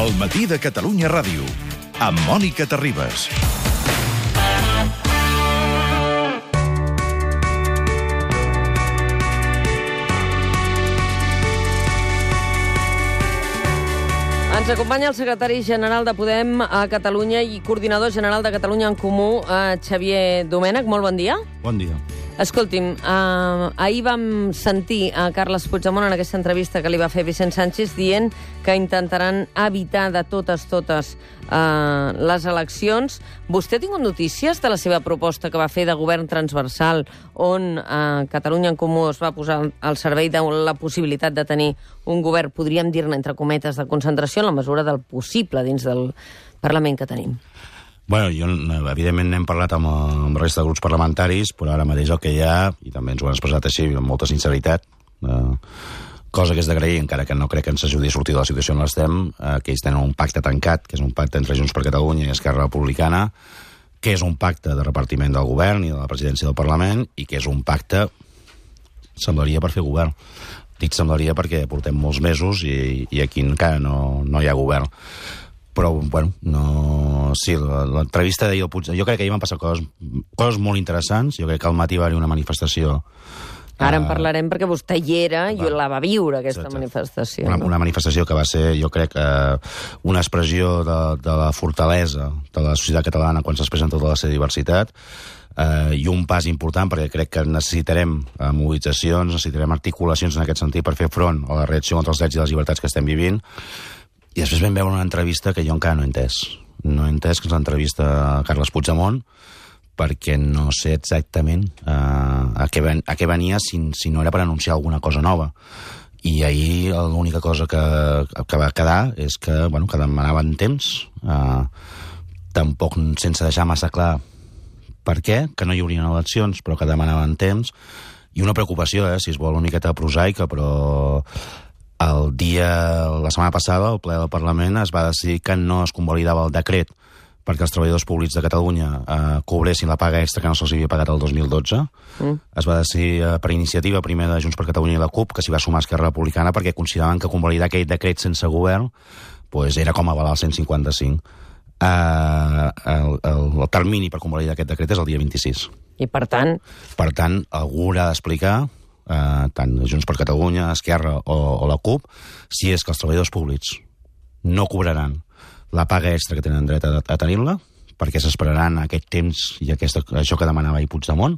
El matí de Catalunya Ràdio, amb Mònica Terribas. Ens acompanya el secretari general de Podem a Catalunya i coordinador general de Catalunya en Comú, Xavier Domènech. Molt bon dia. Bon dia. Escolti'm, ahir vam sentir a Carles Puigdemont en aquesta entrevista que li va fer Vicent Sánchez dient que intentaran evitar de totes les eleccions. Vostè ha tingut notícies de la seva proposta que va fer de govern transversal on Catalunya en Comú es va posar al servei de la possibilitat de tenir un govern, podríem dir-ne, entre cometes, de concentració en la mesura del possible dins del Parlament que tenim? Bueno, evidentment n'hem parlat amb la resta de grups parlamentaris, però ara mateix el que hi ha, i també ens ho han expressat així amb molta sinceritat, cosa que és d'agrair, encara que no crec que ens ajudi a sortir de la situació on l'estem, que ells tenen un pacte tancat, que és un pacte entre Junts per Catalunya i Esquerra Republicana, que és un pacte de repartiment del govern i de la presidència del Parlament, i que és un pacte, semblaria, per fer govern. Dic semblaria perquè portem molts mesos i aquí encara no hi ha govern. Però, bueno, no... Sí, l'entrevista d'ahir al Puigdemont... Jo crec que ahir van passar coses molt interessants. Jo crec que al matí va haver una manifestació... Ara en parlarem perquè vostè hi era i la va viure, aquesta manifestació. Una manifestació que va ser, jo crec, una expressió de la fortalesa de la societat catalana quan s'expressa en tota la seva diversitat, i un pas important perquè crec que necessitarem mobilitzacions, necessitarem articulacions en aquest sentit per fer front a la reacció contra els drets i les llibertats que estem vivint. I després vam veure una entrevista que jo encara no he entès. No he entès que és l'entrevista a Carles Puigdemont, perquè no sé exactament a què venia si no era per anunciar alguna cosa nova. I ahir l'única cosa que va quedar és que demanaven temps, tampoc sense deixar massa clar per què, que no hi haurien eleccions, però que demanaven temps, i una preocupació, si es vol, una miqueta prosaica, però... La setmana passada, al ple del Parlament, es va decidir que no es convalidava el decret perquè els treballadors públics de Catalunya cobressin la paga extra que no se'ls havia pagat el 2012. Es va decidir per iniciativa primer de Junts per Catalunya i la CUP, que s'hi va sumar Esquerra Republicana, perquè consideraven que convalidar aquell decret sense govern era com avalar el 155. El termini per convalidar aquest decret és el dia 26. I per tant? Per tant, algú haurà d'explicar, tant Junts per Catalunya, Esquerra o la CUP, si és que els treballadors públics no cobraran la paga extra que tenen dret a tenir-la, perquè s'esperaran aquest temps i això que demanava ahir Puigdemont,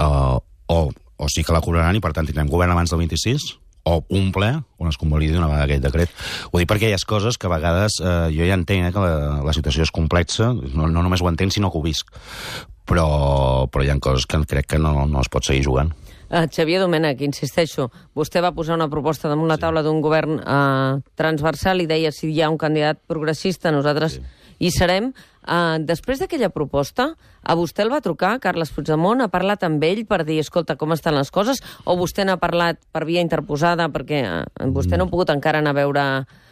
o sí que la cobraran i per tant tindrem govern abans del 26, o un ple on es convalidi una vegada aquest decret. Ho dic perquè hi ha coses que a vegades jo ja entenc que la situació és complexa, no només ho entenc sinó que ho visc, però hi ha coses que crec que no es pot seguir jugant. Xavier Domènech, insisteixo, vostè va posar una proposta damunt la taula d'un govern transversal i deia si hi ha un candidat progressista, nosaltres hi serem. Després d'aquella proposta, a vostè el va trucar Carles Puigdemont, ha parlat amb ell per dir, escolta, com estan les coses, o vostè n'ha parlat per via interposada perquè vostè no ha pogut encara anar a veure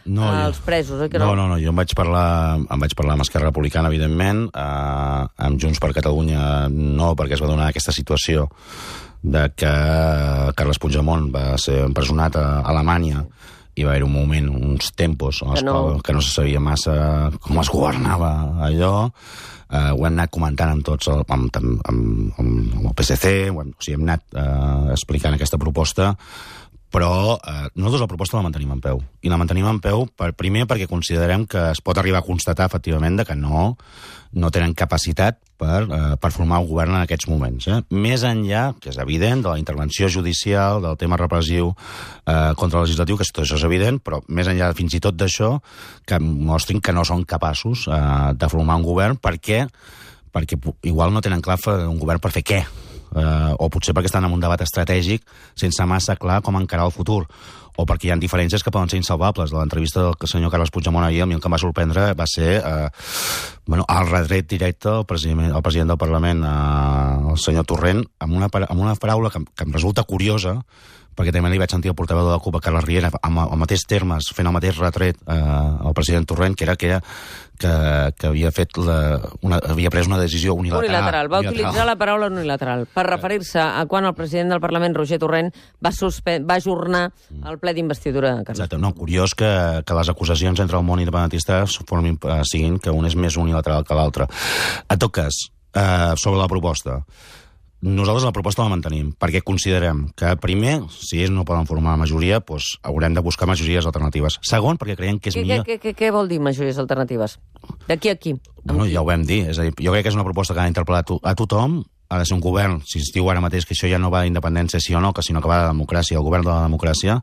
els presos, oi que no? No, jo em vaig parlar amb Esquerra Republicana, evidentment, amb Junts per Catalunya no, perquè es va donar aquesta situació de que Carles Puigdemont va ser empresonat a Alemanya i va haver un moment, uns tempos que no se sabia massa com es governava allò. Ho hem anat comentant amb tots, amb el PSC, hem anat explicant aquesta proposta, però nosaltres la proposta la mantenim en peu. I la mantenim en peu primer perquè considerem que es pot arribar a constatar efectivament que no tenen capacitat per formar un govern en aquests moments. Més enllà, que és evident, de la intervenció judicial, del tema repressiu contra el legislatiu, que tot això és evident, però més enllà fins i tot d'això, que mostrin que no són capaços de formar un govern perquè igual no tenen clar un govern per fer què. O potser perquè estan en un debat estratègic sense massa clar com encarar el futur, o perquè hi ha diferències que poden ser insalvables. De l'entrevista del senyor Carles Puigdemont ahir, a mi el que em va sorprendre va ser el retret directe al president del Parlament, el senyor Torrent, amb una paraula que em resulta curiosa, perquè també li vaig sentir el portaveu de la CUP, Carles Riera, amb els mateixos termes, fent el mateix retret al president Torrent, que era que havia pres una decisió unilateral. Va utilitzar la paraula unilateral per referir-se a quan el president del Parlament, Roger Torrent, va ajornar el ple ple d'investidura, Carles. Exacte. No, curiós que les acusacions entre el món independentista siguin que un és més unilateral que l'altre. En tot cas, sobre la proposta, nosaltres la proposta la mantenim, perquè considerem que, primer, si ells no poden formar majoria, doncs haurem de buscar majories alternatives. Segon, perquè creiem que és millor... Què vol dir majories alternatives? D'aquí a aquí? Bueno, ja ho vam dir. És a dir, jo crec que és una proposta que ha d'interpel·lar a tothom. Ha de ser un govern, si es diu ara mateix que això ja no va d'independència sí o no, sinó que va de democràcia, el govern de la democràcia,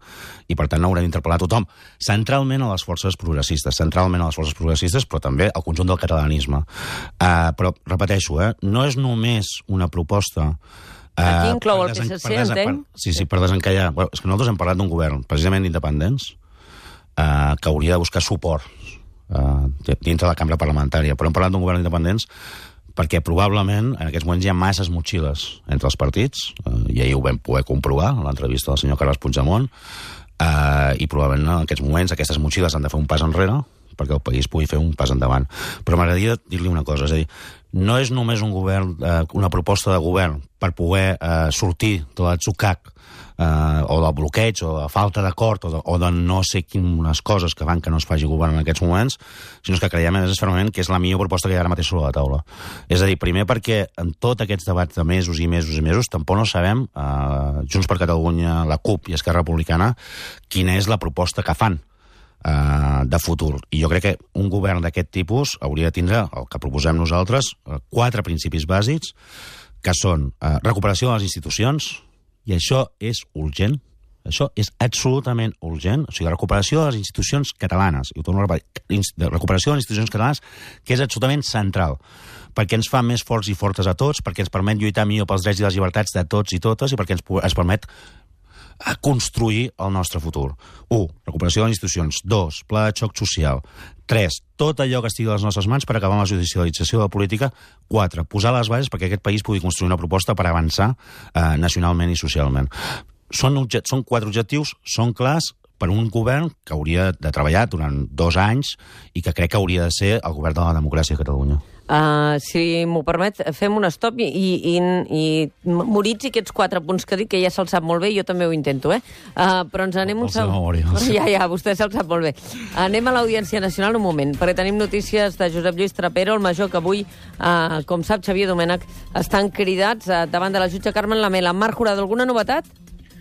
i per tant no haurem d'interpel·lar a tothom. Centralment a les forces progressistes, però també al conjunt del catalanisme. Però, repeteixo, no és només una proposta... Aquí inclou el PSC, entenc? Sí, per desencallar. Bueno, és que nosaltres hem parlat d'un govern, precisament d'independents, que hauria de buscar suport dintre la cambra parlamentària, però hem parlat d'un govern d'independents perquè probablement en aquests moments hi ha masses motxilles entre els partits, i ahir ho vam poder comprovar a l'entrevista del senyor Carles Puigdemont, i probablement en aquests moments aquestes motxilles han de fer un pas enrere perquè el país pugui fer un pas endavant. Però m'agradaria dir-li una cosa, és a dir, no és només un govern, una proposta de govern per poder sortir de l'atzucac o del bloqueig, o de falta d'acord, o de no sé quines coses que fan que no es faci govern en aquests moments, sinó que creiem fermament que és la millor proposta que hi ha ara mateix sobre la taula. És a dir, primer perquè en tots aquests debats de mesos i mesos i mesos tampoc no sabem, Junts per Catalunya, la CUP i Esquerra Republicana, quina és la proposta que fan de futur. I jo crec que un govern d'aquest tipus hauria de tindre, el que proposem nosaltres, 4 principis bàsics, que són recuperació de les institucions, i això és urgent, això és absolutament urgent, o sigui, recuperació de les institucions catalanes, i ho torno a repetir, recuperació de les institucions catalanes, que és absolutament central, perquè ens fa més forts i fortes a tots, perquè ens permet lluitar millor pels drets i les llibertats de tots i totes, i perquè ens permet construir el nostre futur. 1. Recuperació de les institucions. 2. Pla de xoc social. 3. Tot allò que estigui a les nostres mans per acabar amb la judicialització de la política. 4. Posar les bases perquè aquest país pugui construir una proposta per avançar nacionalment i socialment. Són 4 objectius, són clars per un govern que hauria de treballar durant 2 anys i que crec que hauria de ser el govern de la democràcia a Catalunya. Si m'ho permet, fem un stop i moritzi aquests 4 punts que dic, que ja se'ls sap molt bé, jo també ho intento, però ens anem un segon. Ja, vostè se'ls sap molt bé. Anem a l'Audiència Nacional un moment, perquè tenim notícies de Josep Lluís Trapero, el major, que avui, com sap Xavier Domènech, estan cridats davant de la jutge Carmen Lamela. Marc Jurado, alguna novetat?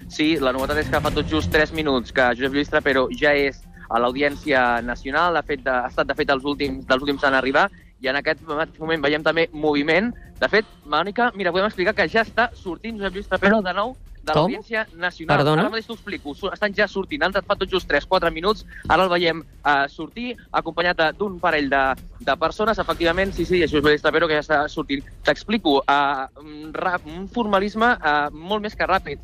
Sí, la novetat és que fa tot just 3 minuts que Josep Lluís Trapero ja és a l'Audiència Nacional, ha estat de fet dels últims en arribar, i en aquest moment veiem també moviment. De fet, Mònica, mira, podem explicar que ja està sortint Josep Lluís Trapero de nou de l'Audiència Nacional. Perdona? Ara mateix t'ho explico. Estan ja sortint. Han entrat fa tot just 3-4 minuts. Ara el veiem sortir, acompanyat d'un parell de persones. Efectivament, sí, Josep Lluís Trapero que ja està sortint. T'explico. Un formalisme molt més que ràpid.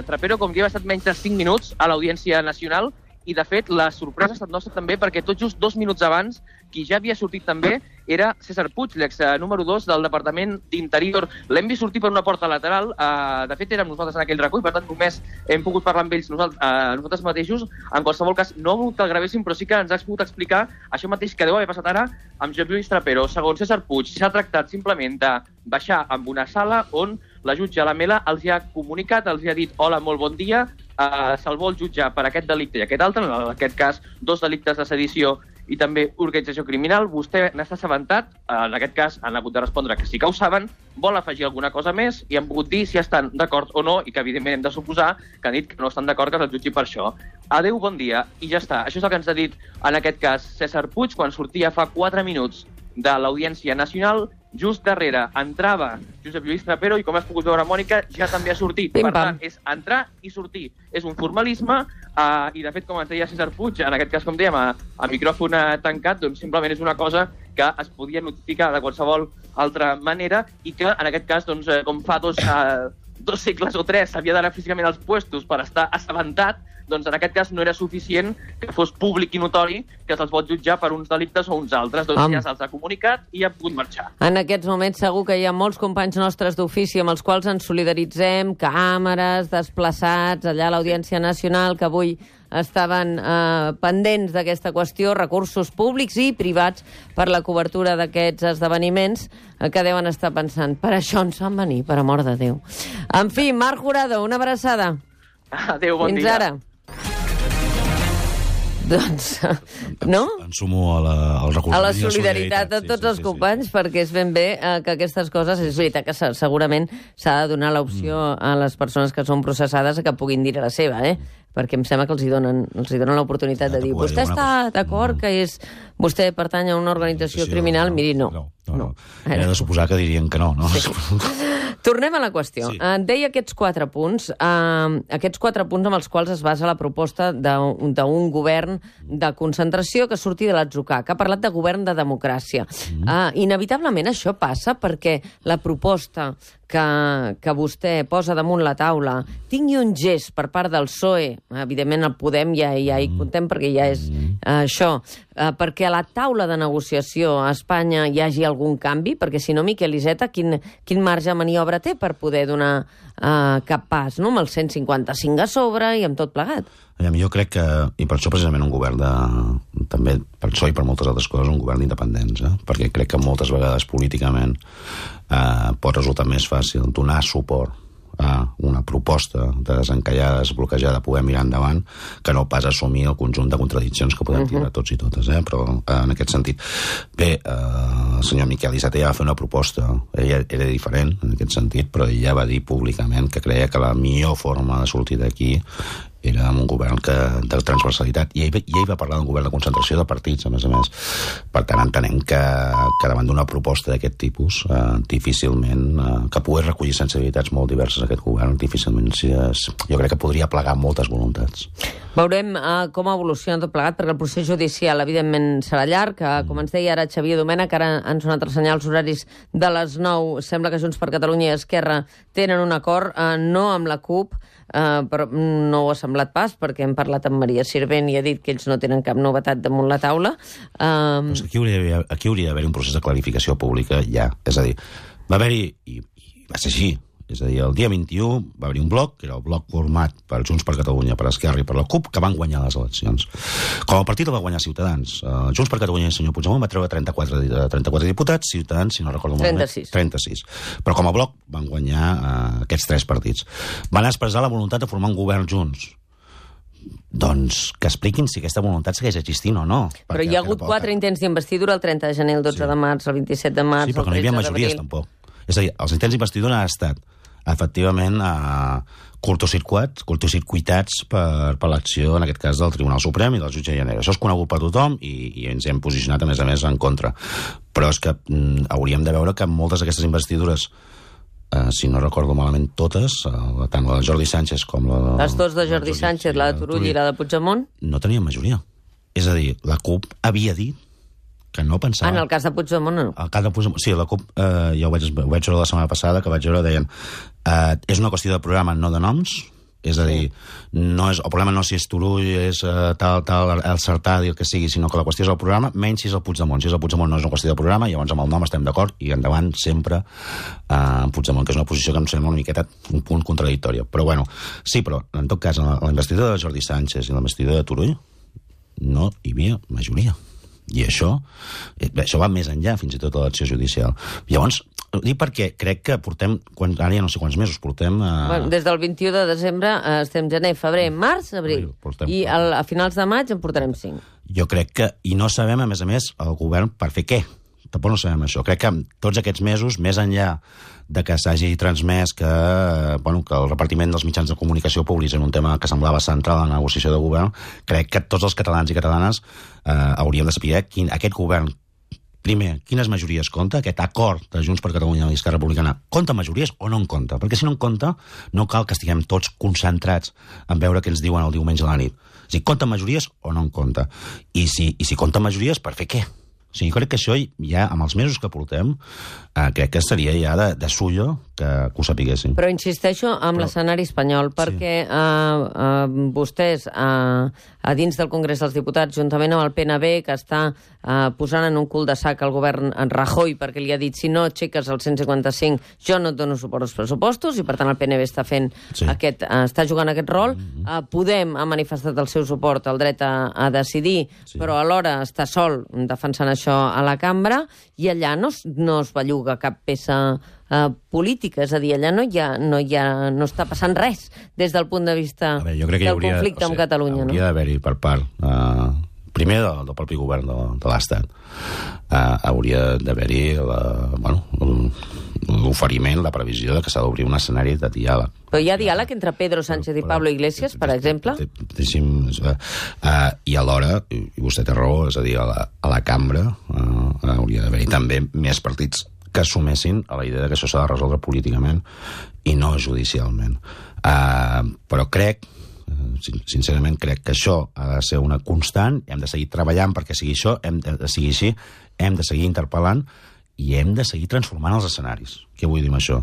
Trapero, com que ha estat menys de 5 minuts a l'Audiència Nacional, i de fet la sorpresa ha estat nostra també perquè tot just 2 minuts abans qui ja havia sortit també era César Puig, l'ex número 2 del Departament d'Interior. L'hem vist sortir per una porta lateral, de fet érem nosaltres en aquell racó i per tant només hem pogut parlar amb ells nosaltres mateixos. En qualsevol cas no ha volgut que el gravéssim, però sí que ens ha pogut explicar això mateix que deu haver passat ara amb Josep Lluís Trapero. Segons César Puig, s'ha tractat simplement de baixar amb una sala on la jutge Lamela els ha comunicat, els ha dit hola, molt bon dia, se'l vol jutjar per aquest delicte i aquest altre, en aquest cas 2 delictes de sedició i també organització criminal. Vostè n'està assabentat, en aquest cas han hagut de respondre que sí que ho saben, vol afegir alguna cosa més i han pogut dir si estan d'acord o no, i que evidentment hem de suposar que han dit que no estan d'acord que se'l jutgi per això. Adéu, bon dia, i ja està. Això és el que ens ha dit en aquest cas César Puig quan sortia fa 4 minuts de l'Audiència Nacional. Just darrere entrava Josep Lluís Trapero i, com has pogut veure, Mònica, ja també ha sortit. Per tant, és entrar i sortir. És un formalisme i, de fet, com ens deia César Puig, en aquest cas, com dèiem, a micròfon tancat, doncs simplement és una cosa que es podia notificar de qualsevol altra manera i que, en aquest cas, doncs, com fa 2 segles o 3 s'havia d'anar físicament als puestos per estar assabentat, doncs en aquest cas no era suficient que fos públic i notori que se'ls pot jutjar per uns delictes o uns altres. Doncs ja se'ls ha comunicat i han pogut marxar. En aquests moments segur que hi ha molts companys nostres d'ofici amb els quals ens solidaritzem, càmeres, desplaçats allà a l'Audiència Nacional, que avui estaven pendents d'aquesta qüestió, recursos públics i privats per la cobertura d'aquests esdeveniments, que deuen estar pensant, per això ens van venir, per amor de Déu. En fi, Marc Jurado, una abraçada. Adéu, bon dia. Fins ara. Doncs, no? Em sumo al recolzament. A la solidaritat de tots els companys, perquè és ben bé que aquestes coses, és veritat que segurament s'ha de donar l'opció a les persones que són processades que puguin dir la seva, perquè em sembla que els hi donen l'oportunitat de dir vostè està d'acord que vostè pertany a una organització criminal? Miri, no. Era de suposar que dirien que no, no? Tornem a la qüestió. Deia aquests 4 punts, amb els quals es basa la proposta d'un govern de concentració que surti de l'atzucac. Ha parlat de govern de democràcia. Inevitablement això passa perquè la proposta que vostè posa damunt la taula tingui un gest per part del PSOE, evidentment el Podem ja hi contem perquè ja és això, perquè a la taula de negociació a Espanya hi hagi algun canvi, perquè si no, Miquel Iceta, quin marge de maniobra té per poder donar cap pas, no? Amb el 155 a sobre i amb tot plegat. Jo crec que, i per això precisament un govern també per això i per moltes altres coses, un govern d'independents, perquè crec que moltes vegades políticament pot resultar més fàcil donar suport a una proposta de desencallada, desbloquejada, poder mirar endavant, que no pas assumir el conjunt de contradiccions que podem tindre tots i totes, però en aquest sentit. Bé, el senyor Miquel Iceta ja va fer una proposta, ella era diferent en aquest sentit, però ella va dir públicament que creia que la millor forma de sortir d'aquí era amb un govern de transversalitat. I ell va parlar d'un govern de concentració de partits, a més. Per tant, entenem que davant d'una proposta d'aquest tipus, difícilment, que pogués recollir sensibilitats molt diverses aquest govern, difícilment jo crec que podria plegar moltes voluntats. Veurem com evoluciona tot plegat, perquè el procés judicial, evidentment, serà llarg. Com ens deia ara Xavier Domènech, ara han sonat els senyals horaris de les 9. Sembla que Junts per Catalunya i Esquerra tenen un acord, no amb la CUP, però no ho ha semblat pas, perquè hem parlat amb Maria Sirvent i ha dit que ells no tenen cap novetat damunt la taula. Doncs aquí hauria d'haver un procés de clarificació pública ja. És a dir, va haver-hi, i va ser així, és a dir, el dia 21 va haver-hi un bloc, que era el bloc format per Junts per Catalunya, per Esquerra i per la CUP, que van guanyar les eleccions. Com el partit el va guanyar Ciutadans, Junts per Catalunya i el senyor Puigdemont va treure 34 diputats, Ciutadans, si no recordo malament, 36. Però com a bloc van guanyar aquests 3 partits. Van expressar la voluntat de formar un govern junts. Doncs que expliquin si aquesta voluntat segueix existint o no. Però hi ha hagut 4 intents d'investidura, el 30 de gener, el 12 de març, el 27 de març, el 13 d'abril. Sí, però que no hi havia majories, tampoc. És a dir, els intents d'investidura han estat efectivament curtocircuitats per l'acció, en aquest cas, del Tribunal Suprem i del jutge Llanera. Això és conegut per tothom i ens hem posicionat, a més, en contra. Però és que hauríem de veure que moltes d'aquestes investidures, si no recordo malament totes, tant la de Jordi Sánchez com la de... Les dues de Jordi Sánchez, la de Turull i la de Puigdemont? No tenien majoria. És a dir, la CUP havia dit que no pensava... En el cas de Puigdemont, no? El cas de Puigdemont, sí, la CUP, ja ho vaig veure la setmana passada, que vaig veure, deien, és una qüestió de programa, no de noms, és a dir, el problema no si és Turull, és el Sartadi, el que sigui, sinó que la qüestió és el programa, menys si és el Puigdemont. Si és el Puigdemont no és una qüestió de programa, llavors amb el nom estem d'acord i endavant sempre Puigdemont, que és una posició que em sembla una miqueta un punt contradictòria. Però bueno, sí, però en tot cas, en la investidura de Jordi Sánchez i la investidura de Turull no hi havia majoria. I això va més enllà, fins i tot, de l'elecció judicial. Llavors, ho dic perquè crec que portem, ara ja no sé quants mesos portem... Des del 21 de desembre estem gener, febrer, març, abril. I a finals de maig en portarem 5. Jo crec que, i no sabem, a més, el govern per fer què. Tampoc no sabem això. Crec que tots aquests mesos, més enllà de que s'hagi transmès que el repartiment dels mitjans de comunicació públics en un tema que semblava central en la negociació de govern, crec que tots els catalans i catalanes hauríem de saber aquest govern, primer, quines majories compta, aquest acord de Junts per Catalunya i Esquerra Republicana, compta majories o no en compta? Perquè si no en compta, no cal que estiguem tots concentrats en veure què ens diuen el diumenge a la nit. O sigui, compta majories o no en compta? I si compta majories, per fer què? O sigui, jo crec que això ja, amb els mesos que portem, crec que seria ja de sullo que ho sapiguéssim. Però insisteixo amb l'escenari espanyol, perquè vostès, a dins del Congrés dels Diputats, juntament amb el PNB, que està posant en un cul de sac el govern en Rajoy, perquè li ha dit, si no aixeques el 155, jo no et dono suport als pressupostos, i per tant el PNB està fent està jugant aquest rol. Podem ha manifestat el seu suport al dret a decidir, però alhora està sol defensant això. això a la cambra, i allà no es belluga cap peça política, és a dir, allà no està passant res des del punt de vista del conflicte amb Catalunya. Hauria d'haver-hi per part, primer del propi govern de l'Estat, hauria d'haver-hi l'oferiment, la previsió de que s'ha d'obrir un escenari de diàleg. Però hi ha diàleg entre Pedro Sánchez i Pablo Iglesias, per exemple? I alhora, i vostè té raó, és a dir, a la cambra hauria d'haver-hi també més partits que assumessin a la idea que això s'ha de resoldre políticament i no judicialment. Però sincerament crec que això ha de ser una constant, hem de seguir treballant perquè sigui això, hem de seguir interpel·lant i hem de seguir transformant els escenaris. Què vull dir amb això?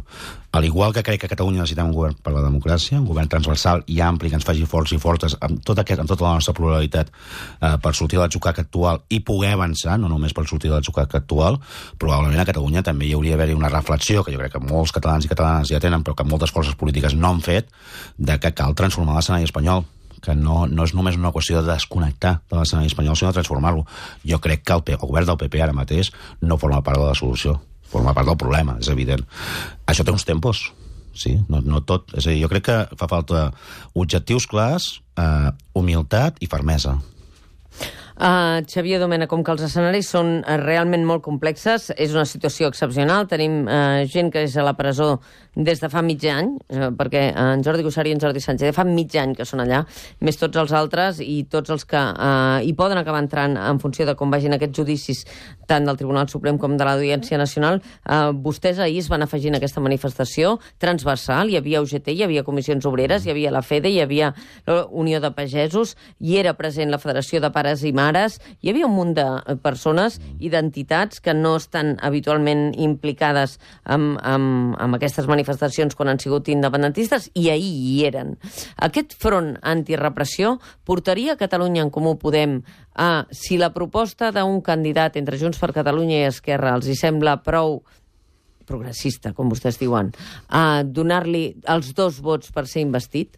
Al igual que crec que a Catalunya necessitem un govern per la democràcia, un govern transversal i ampli que ens faci forts i fortes amb tota la nostra pluralitat per sortir de l'atzucac actual i poder avançar, no només per sortir de l'atzucac actual, probablement a Catalunya també hi hauria d'haver una reflexió, que jo crec que molts catalans i catalanes ja tenen, però que moltes forces polítiques no han fet, de que cal transformar l'escenari espanyol, que no és només una qüestió de desconnectar de l'escenari espanyol, sinó de transformar-lo. Jo crec que el govern del PP ara mateix no forma part de la solució, forma part del problema, és evident. Això té uns tempos, sí, no tot. És a dir, jo crec que fa falta objectius clars, humilitat i fermesa. Xavier Domènech, com que els escenaris són realment molt complexes, és una situació excepcional. Tenim gent que és a la presó des de fa mig any, perquè en Jordi Cuixart i en Jordi Sánchez fa mig any que són allà, més tots els altres i tots els que hi poden acabar entrant en funció de com vagin aquests judicis, tant del Tribunal Suprem com de l'Audiència Nacional. Vostès ahir es van afegir en aquesta manifestació transversal, hi havia UGT, hi havia Comissions Obreres, hi havia la FEDE, hi havia la Unió de Pagesos, hi era present la Federació de Pares i Mares, hi havia un munt de persones i d'entitats que no estan habitualment implicades amb aquestes manifestacions quan han sigut independentistes, i ahir hi eren. Aquest front antirepressió portaria a Catalunya en Comú Podem si la proposta d'un candidat entre Junts per Catalunya i Esquerra els hi sembla prou progressista, com vostès diuen, a donar-li els 2 vots per ser investit?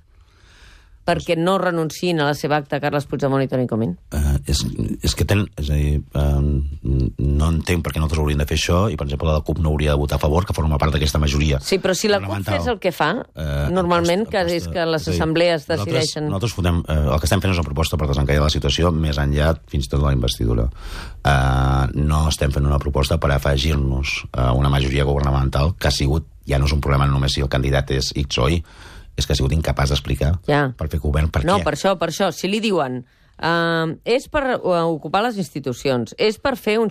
Perquè no renunciïn a la seva acta Carles Puigdemont i Toni Comín? És que no entenc per què nosaltres hauríem de fer això i, per exemple, la CUP no hauria de votar a favor, que forma part d'aquesta majoria. Sí, però si la CUP fes el que fa, normalment, que és que les assemblees decideixen... Nosaltres el que estem fent és una proposta per desencallar la situació més enllà fins i tot de la investidura. No estem fent una proposta per afegir-nos a una majoria governamental que ha sigut, ja no és un problema només si el candidat és X o Y, és que ha sigut incapaç d'explicar per fer govern per què. No, per això. Si li diuen és per ocupar les institucions, és per fer un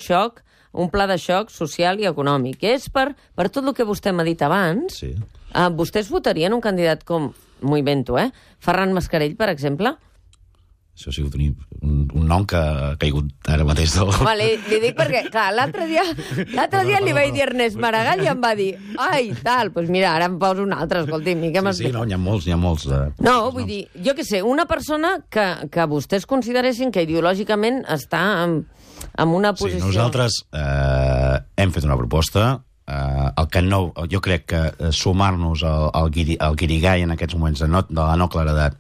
pla de xoc social i econòmic, és per tot el que vostè m'ha dit abans, vostès votarien un candidat com, m'ho invento, Ferran Mascarell, per exemple? Això ha sigut un nom que ha caigut ara mateix del... Li dic perquè, clar, l'altre dia li vaig dir Ernest Maragall i em va dir, ai, tal, doncs mira, ara em poso un altre, escolti'm. Sí, no, n'hi ha molts. No, vull dir, jo què sé, una persona que vostès consideressin que ideològicament està en una posició... Sí, nosaltres hem fet una proposta. El que no, jo crec que sumar-nos al guirigall en aquests moments de la no claredat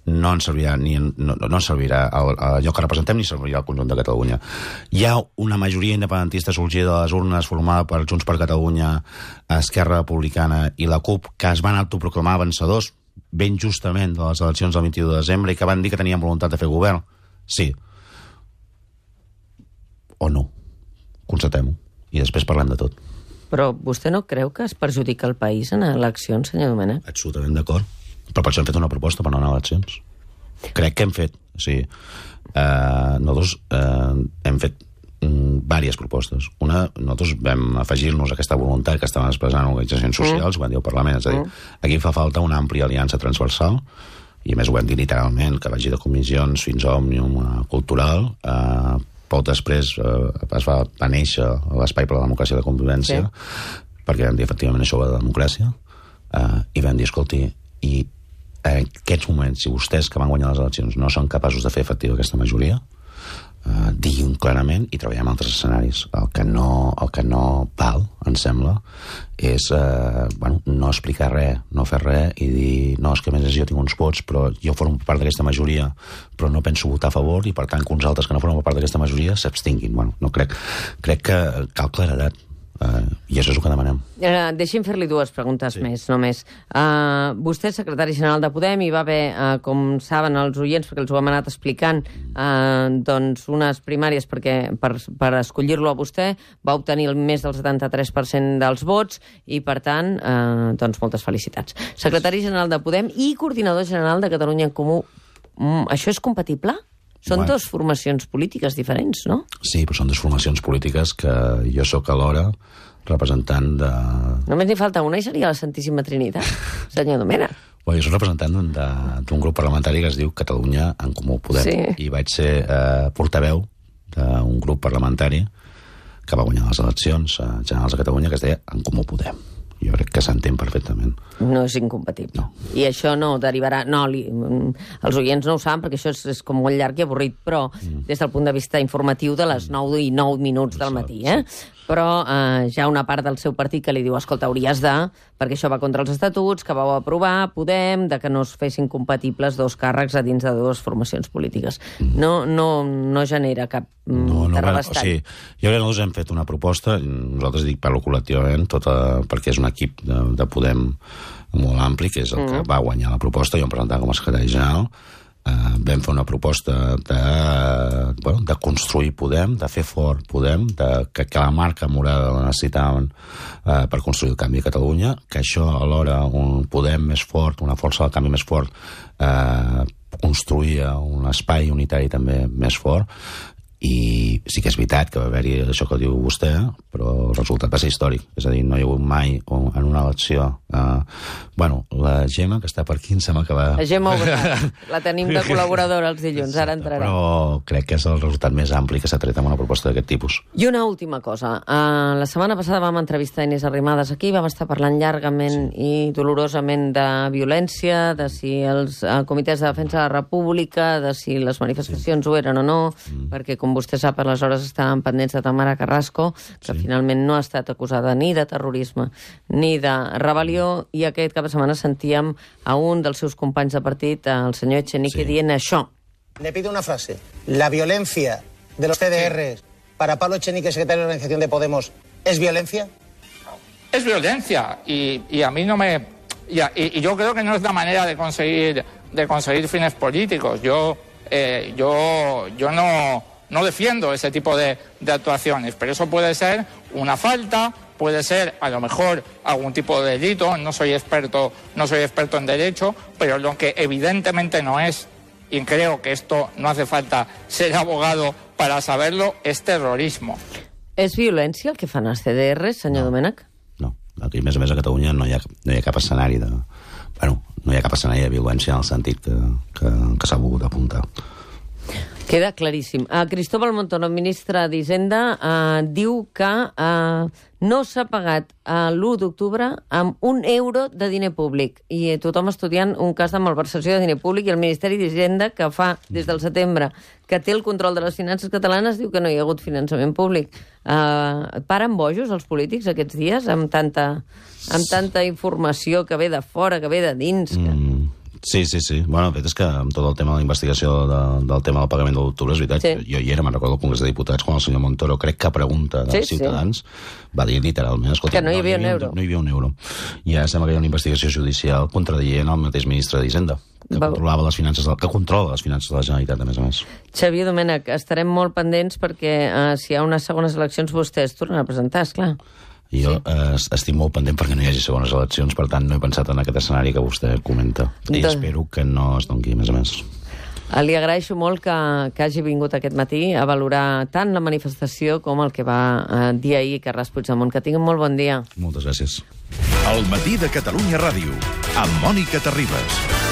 no ens servirà no servirà allò que representem ni servirà al conjunt de Catalunya. Hi ha una majoria independentista sorgida de les urnes formada per Junts per Catalunya, Esquerra Republicana i la CUP, que es van autoproclamar vencedors ben justament de les eleccions del 21 de desembre i que van dir que tenien voluntat de fer govern. Sí. O no. Constatem-ho. I després parlem de tot. Però vostè no creu que es perjudica el país en eleccions, senyor Domènech? Absolutament d'acord. Però per això hem fet una proposta per no anar a eleccions. Crec que hem fet. O sigui, nosaltres hem fet diverses propostes. Una, nosaltres vam afegir-nos a aquesta voluntat que estaven expressant organitzacions socials, ho van dir al Parlament, és a dir, aquí fa falta una àmplia aliança transversal, i a més ho vam dir literalment, que vagi de comissions fins a Òmnium Cultural, poc després va néixer l'Espai per la Democràcia i la Convivència, perquè vam dir, efectivament, això va de democràcia, i vam dir, escolti, i en aquests moments, si vostès que van guanyar les eleccions no són capaços de fer efectiva aquesta majoria, diguin clarament i treballem altres escenaris. El que no val, em sembla, és no explicar res, no fer res i dir, no, és que a més jo tinc uns vots, però jo formo part d'aquesta majoria, però no penso votar a favor i per tant que uns altres que no formen part d'aquesta majoria s'abstinguin. No crec que cal claredat. I això és el que demanem. Deixi'm fer-li dues preguntes més, només. Vostè és secretari general de Podem i va haver, com saben els oients, perquè els ho hem anat explicant, doncs unes primàries per escollir-lo a vostè, va obtenir més del 73% dels vots i, per tant, doncs moltes felicitats. Secretari general de Podem i coordinador general de Catalunya en Comú. Això és compatible? Són dues formacions polítiques diferents, no? Sí, però són dues formacions polítiques que jo sóc alhora representant de... Només n'hi falta una i seria la Santíssima Trinitat, senyor Domènech. Jo soc representant d'un grup parlamentari que es diu Catalunya en Comú Podem i vaig ser portaveu d'un grup parlamentari que va guanyar les eleccions generals de Catalunya que es deia En Comú Podem. Jo crec que s'entén perfectament. No és incompatible. No. I això no derivarà... No, els oients no ho saben perquè això és com molt llarg i avorrit, però des del punt de vista informatiu de les 9 i 9 minuts del matí, Però hi ha una part del seu partit que li diu, escolta, hauries de... Perquè això va contra els estatuts, que vau aprovar, Podem, de que no es fessin compatibles dos càrrecs a dins de dues formacions polítiques. No genera cap terrabastall. O sigui, jo crec que nosaltres hem fet una proposta, nosaltres parlo col·lectivament, perquè és un equip de Podem molt ampli, que és el que va guanyar la proposta, jo em presentava com a secretari general, vam fer una proposta de construir Podem, de fer fort Podem, que la marca morada la necessitaven per construir el canvi a Catalunya, que això alhora un Podem més fort, una força del canvi més fort, construïa un espai unitari també més fort. I sí que és veritat que va haver-hi això que diu vostè, però el resultat va ser històric. És a dir, no hi ha hagut mai en una elecció... la Gemma, que està per aquí, em sembla que va... La Gemma Obrat, la tenim de col·laboradora els dilluns, ara entrarà. Però crec que és el resultat més ampli que s'ha tret amb una proposta d'aquest tipus. I una última cosa. La setmana passada vam entrevistar Inés Arrimadas aquí, vam estar parlant llargament i dolorosament de violència, de si els comitès de defensa de la República, de si les manifestacions ho eren o no, perquè, com vostè sap, aleshores estaven pendents de Tamara Carrasco, que finalment no ha estat acusada ni de terrorisme ni de rebel·lió, i aquest cap de setmana sentíem a un dels seus companys de partit, el senyor Echenique, dient això. Le pido una frase. La violencia de los CDRs para Pablo Echenique, secretario de organización de Podemos, ¿es violencia? Es violencia y a mí no me... Y yo creo que no es la manera de conseguir fines políticos. Yo no defiendo ese tipo de actuaciones, pero eso puede ser una falta, puede ser a lo mejor algún tipo de delito. No soy experto en derecho, pero lo que evidentemente no es, y creo que esto no hace falta ser abogado para saberlo, es terrorismo. És violència el que fan els CDRs, senyor Domènech? No. Aquí, a més a Catalunya no hi ha cap escenari de... no hi ha cap escenari de violència en el sentit que s'ha volgut apuntar. Queda claríssim. Cristóbal Montoro, ministre d'Hisenda, diu que no s'ha pagat l'1 d'octubre amb €1 de diner públic. I tothom estudiant un cas de malversació de diner públic, i el Ministeri d'Hisenda, que fa des del setembre que té el control de les finances catalanes, diu que no hi ha hagut finançament públic. Paren bojos els polítics aquests dies amb tanta informació que ve de fora, que ve de dins? Sí. Bueno, el fet és que amb tot el tema de la investigació del tema del pagament de l'octubre, és veritat, jo hi era, me'n recordo al Congrés de Diputats, quan el senyor Montoro, crec que a pregunta dels ciutadans, va dir literalment, escolta, que no hi havia un euro. No hi havia un euro. I ara sembla que hi ha una investigació judicial contradient el mateix ministre d'Hisenda, que controla les finances de la Generalitat, a més. Xavier Domènech, estarem molt pendents perquè si hi ha unes segones eleccions vostès tornen a presentar, esclar. Jo estic molt pendent perquè no hi hagi segones eleccions, per tant no he pensat en aquest escenari que vostè comenta. I espero que no es doni, a més. Li agraeixo molt que hagi vingut aquest matí a valorar tant la manifestació com el que va dir ahir Carles Puigdemont. Que tinguin molt bon dia. Moltes gràcies. El matí de Catalunya Ràdio, amb Mònica Terribas.